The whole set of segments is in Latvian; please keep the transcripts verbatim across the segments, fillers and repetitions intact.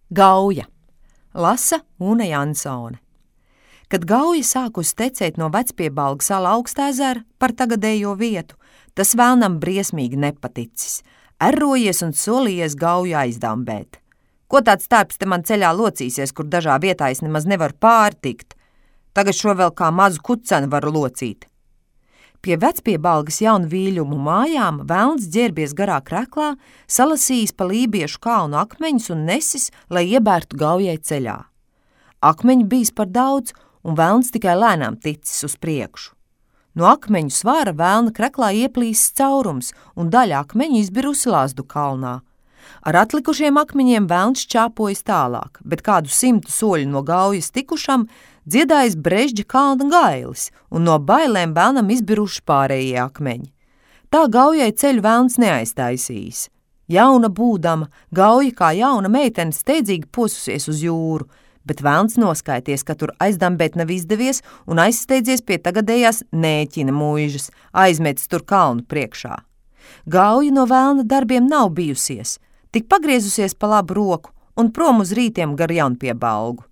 Gauja. Lasa Une Jansone. Kad Gauja sākusi tecēt no Vecpiebalga sala Augstezera par tagadējo vietu, tas vēlnam briesmīgi nepaticis. Errojies un solījies Gauju aizdambēt. Ko tāds tērps te man ceļā locīsies, kur dažā vietā es nemaz nevaru pārtikt? Tagad šo vēl kā mazu kucenu varu locīt. Pie Vecpiebalgas jaunu vīļumu mājām velns ģērbies garā kreklā, salasījis pa lībiešu kalnu akmeņus un nesis, lai iebērtu Gaujai ceļā. Akmeņu bijis par daudz, un velns tikai lēnām ticis uz priekšu. No akmeņu svāra velna kreklā ieplīsis caurums, un daļa akmeņu izbirusi Lazdu kalnā. Ar atlikušiem akmeņiem velns čāpojas tālāk, bet kādu simtu soļu no Gaujas tikušam dziedājis Brežģa kalna gailis, un no bailēm velnam izbiruši pārējie akmeņi. Tā Gaujai ceļu velns neaiztaisījis. Jauna būdama, Gauja kā jauna meitene steidzīgi posusies uz jūru, bet velns noskaities, ka tur aizdambēt nav izdevies un aizsteidzies pie tagadējās Nēķina muižas, aizmetis tur kalnu priekšā. Gauja no velna darbiem nav bijusies, tik pagriezusies pa labu roku un prom uz rītiem gar Jaunpiebalgu.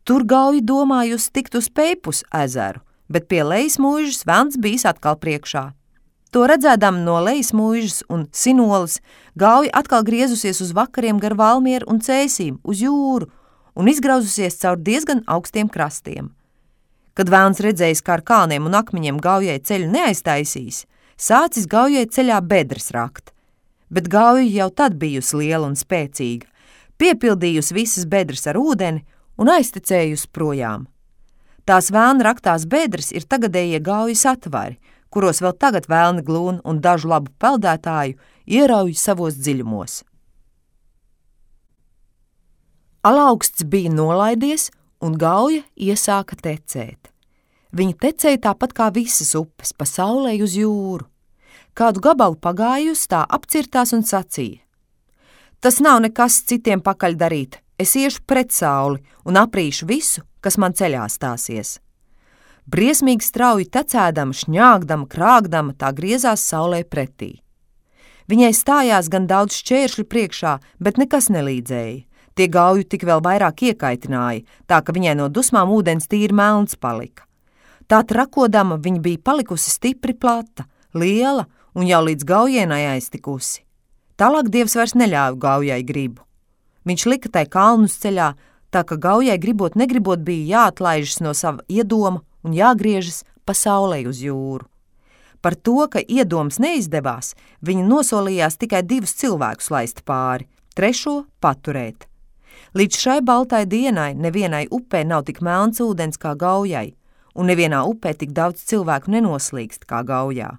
Tur Gauja domājusi tikt uz Peipus ezeru, bet pie Lejas muižas velns bijis atkal priekšā. To redzēdam no Lejas muižas un Sinolas, Gauja atkal griezusies uz vakariem gar Valmieru un Cēsīm, uz jūru, un izgrauzusies caur diezgan augstiem krastiem. Kad velns redzējis, kā ar kalniem un akmeņiem Gaujai ceļu neaiztaisīs, sācis Gaujai ceļā bedres rakt. Bet Gauja jau tad bijusi liela un spēcīga, piepildījusi visas bedres ar ūdeni un aiztecējusi projām. Tās velna raktās bedres ir tagadējie Gaujas atvari, kuros vēl tagad velni glūn un dažu labu peldētāju ierauj savos dziļumos. Alaugsts bija nolaidies, un Gauja iesāka tecēt. Viņa tecēja tāpat kā visas upes, pa saulei uz jūru. Kādu gabalu pagājusi, tā apcirtās un sacīja: Tas nav nekas citiem pakaļ darīt, es iešu pret sauli un aprīšu visu, kas man ceļā stāsies. Briesmīgi strauji tecēdama, šņāgdama, krāgdama, tā griezās saulei pretī. Viņai stājās gan daudz šķēršļu priekšā, bet nekas nelīdzēja. Tie Gauju tik vēl vairāk iekaitināja, tā ka viņai no dusmām ūdens tīri melns palika. Tā trakodama viņa bija palikusi stipri plata, liela un jau līdz Gaujienai aiztikusi. Tālāk Dievs vairs neļāva Gaujai gribu. Viņš lika tai kalnus ceļā, tā ka Gaujai gribot negribot bija jāatlaižas no sava iedoma un jāgriežas pa saulei uz jūru. Par to, ka iedoms neizdevās, viņa nosolījās tikai divus cilvēkus laist pāri, trešo paturēt. Līdz šai baltai dienai nevienai upē nav tik melns ūdens kā Gaujai, un nevienā upē tik daudz cilvēku nenoslīkst kā Gaujā.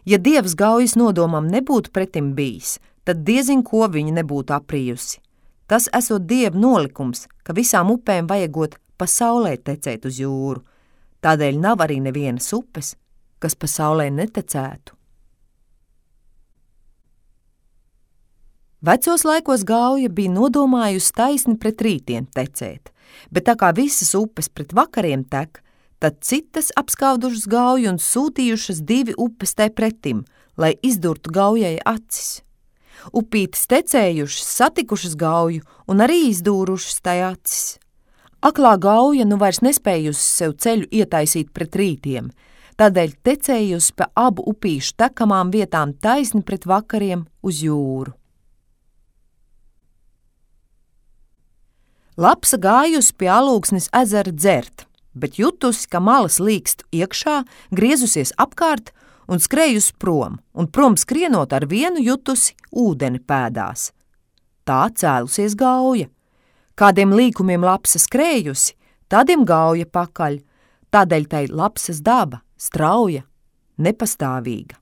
Ja Dievs Gaujas nodomam nebūtu pretim bijis, tad diezin ko viņa nebūtu aprījusi. Tas esot Dieva nolikums, ka visām upēm vajagot pa saulē tecēt uz jūru. Tādēļ nav arī nevienas upes, kas pa saulē netecētu. Vecos laikos Gauja bija nodomājusi taisni pret rītiem tecēt, bet tā kā visas upes pret vakariem tek, tad citas apskaudušas Gauju un sūtījušas divi upes tai pretim, lai izdurtu Gaujai acis. Upītes tecējušas, satikušas Gauju un arī izdūrušas tai acis. Aklā Gauja nu vairs nespējusi sev ceļu ietaisīt pret rītiem, tādēļ tecējusi pa abu upīšu tekamām vietām taisni pret vakariem uz jūru. Lapsa gājusi pie Alūksnes ezera dzert, bet jutusi, ka malas līkst iekšā, griezusies apkārt un skrējusi prom, un prom skrienot ar vienu jutusi ūdeni pēdās. Tā cēlusies Gauja. Kādiem līkumiem lapsa skrējusi, tādiem Gauja pakaļ, tādēļ tai lapsas daba, strauja, nepastāvīga.